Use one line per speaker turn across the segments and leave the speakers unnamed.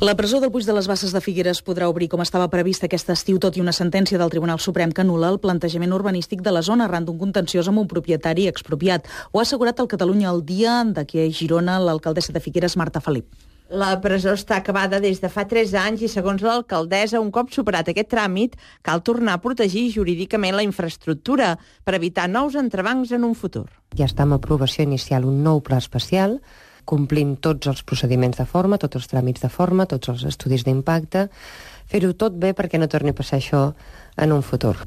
La presó del Puig de les Basses de Figueres podrà obrir com estava previst aquest estiu, tot i una sentència del Tribunal Suprem que anul·la el plantejament urbanístic de la zona arran d'un contenciós amb un propietari expropiat. Ho ha assegurat el Catalunya al Dia d'aquí a Girona l'alcaldessa de Figueres, Marta Felip.
La presó està acabada des de fa 3 anys i, segons l'alcaldessa, un cop superat aquest tràmit, cal tornar a protegir jurídicament la infraestructura per evitar nous entrebancs en un futur.
Ja està en aprovació inicial un nou pla especial. Complim tots els procediments de forma, tots els tràmits de forma, tots els estudis d'impacte, fer-ho tot bé perquè no torni a passar això en un futur.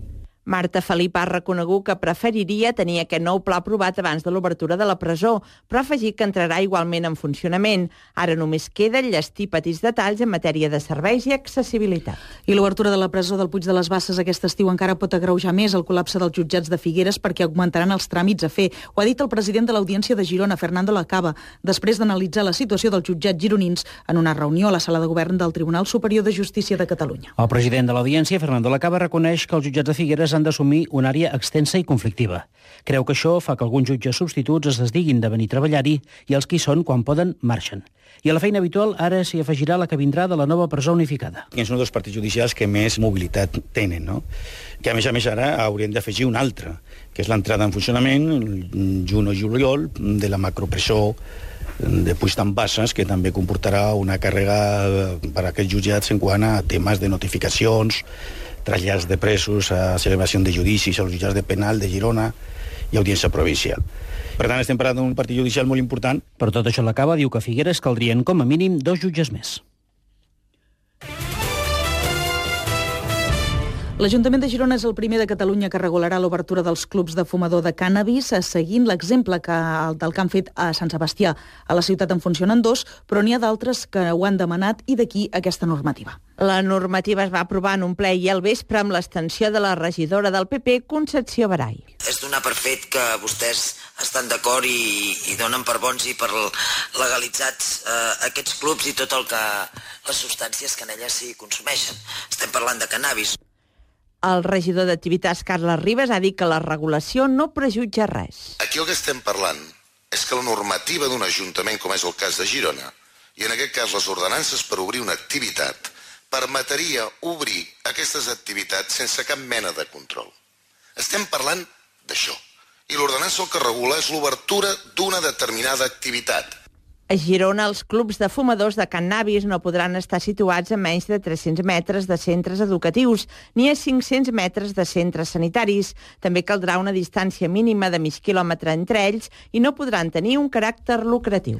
Marta Felip ha reconegut que preferiria tenir aquest nou pla aprovat abans de l'obertura de la presó, però ha afegit que entrarà igualment en funcionament. Ara només queda enllestir petits detalls en matèria de serveis i accessibilitat.
I l'obertura de la presó del Puig de les Basses aquest estiu encara pot agreujar més el col·lapse dels jutjats de Figueres perquè augmentaran els tràmits a fer. Ho ha dit el president de l'Audiència de Girona, Fernando Lacaba, després d'analitzar la situació dels jutjats gironins en una reunió a la sala de govern del Tribunal Superior de Justícia de Catalunya.
El president de l'Audiència, Fernando Lacaba, reconeix que els jutjats de Figueres han d'assumir una àrea extensa i conflictiva. Creu que això fa que alguns jutges substituts es desdiguin de venir a treballar-hi i els que hi són, quan poden, marxen. I a la feina habitual ara s'hi afegirà la que vindrà de la nova presó unificada.
És un dels partits judicials que més mobilitat tenen, no? Que a més ara haurien d'afegir un altre, que és l'entrada en funcionament, juny o juliol, de la macropresó de Puig de les Basses, que també comportarà una càrrega per a aquests jutjats en quant a temes de notificacions, trasllats de presos, a celebració de judicis als jutjats de penal de Girona i audiència provincial. Per tant, estem parlant d'un partit judicial molt important.
Per tot això, l'Acaba diu que a Figueres caldrien com a mínim 2 jutges més.
L'Ajuntament de Girona és el primer de Catalunya que regularà l'obertura dels clubs de fumador de cànnabis, seguint l'exemple del que han fet a Sant Sebastià. A la ciutat en funcionen 2, però n'hi ha d'altres que ho han demanat i d'aquí aquesta normativa.
La normativa es va aprovar en un ple i al vespre amb l'extensió de la regidora del PP, Concepció Barai.
És donar per fet que vostès estan d'acord i donen per bons i per legalitzats aquests clubs i tot les substàncies que en elles s'hi consumeixen. Estem parlant de cannabis.
El regidor d'Activitats, Carles Ribas, ha dit que la regulació no prejutja res.
Aquí el que estem parlant és que la normativa d'un ajuntament, com és el cas de Girona, i en aquest cas les ordenances per obrir una activitat, permetria obrir aquestes activitats sense cap mena de control. Estem parlant d'això. I l'ordenança el que regula és l'obertura d'una determinada activitat.
A Girona, els clubs de fumadors de cannabis no podran estar situats a menys de 300 metres de centres educatius ni a 500 metres de centres sanitaris. També caldrà una distància mínima de mig quilòmetre entre ells i no podran tenir un caràcter lucratiu.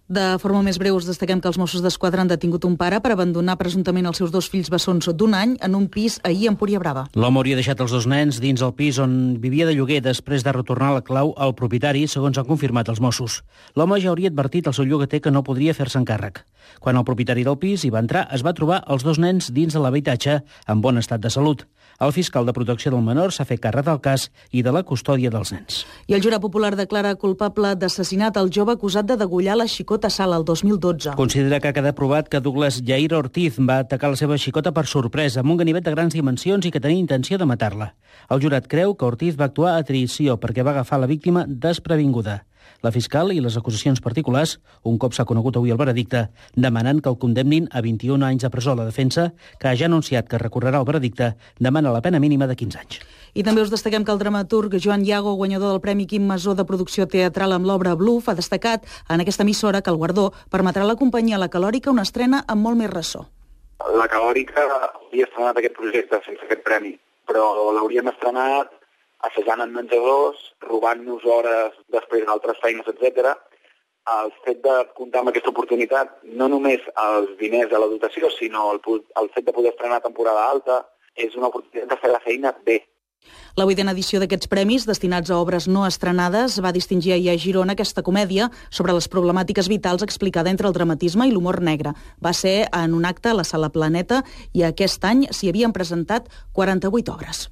De forma més breu, us destaquem que els Mossos d'Esquadra han detingut un pare per abandonar presumptament els seus 2 fills bessons d'1 any en un pis ahir a Empúria Brava.
L'home hauria deixat els 2 nens dins el pis on vivia de lloguer després de retornar la clau al propietari, segons han confirmat els Mossos. L'home ja hauria advertit al seu llogater que no podria fer-se encàrrec. Quan el propietari del pis hi va entrar, es va trobar els 2 nens dins de l'habitatge en bon estat de salut. El fiscal de protecció del menor s'ha fet càrrec del cas i de la custòdia dels nens.
I el jurat popular declara culpable d'assassinat el jove acusat de degollar la xicota Sala el 2012.
Considera que ha quedat provat que Douglas Jair Ortiz va atacar la seva xicota per sorpresa amb un ganivet de grans dimensions i que tenia intenció de matar-la. El jurat creu que Ortiz va actuar a traïció perquè va agafar la víctima desprevinguda. La fiscal i les acusacions particulars, un cop s'ha conegut avui el veredicte, demanen que el condemnin a 21 anys de presó. La defensa, que ja ha anunciat que recorrerà el veredicte, demana la pena mínima de 15 anys.
I també us destaquem que el dramaturg Joan Iago, guanyador del Premi Quim Masó de producció teatral amb l'obra Bluff, ha destacat en aquesta emissora que el guardó permetrà a la companyia La Calòrica una estrena amb molt més ressò.
La Calòrica havia estrenat aquest projecte sense aquest premi, però l'hauríem estrenat assajant en menjadors, robant-nos hores després d'altres feines, etc. El fet de comptar amb aquesta oportunitat, no només els diners de la dotació, sinó el fet de poder estrenar temporada alta, és una oportunitat de fer la feina bé.
La 8a edició d'aquests premis, destinats a obres no estrenades, va distingir ahir a Girona aquesta comèdia sobre les problemàtiques vitals explicada entre el dramatisme i l'humor negre. Va ser en un acte a la Sala Planeta i aquest any s'hi havien presentat 48 obres.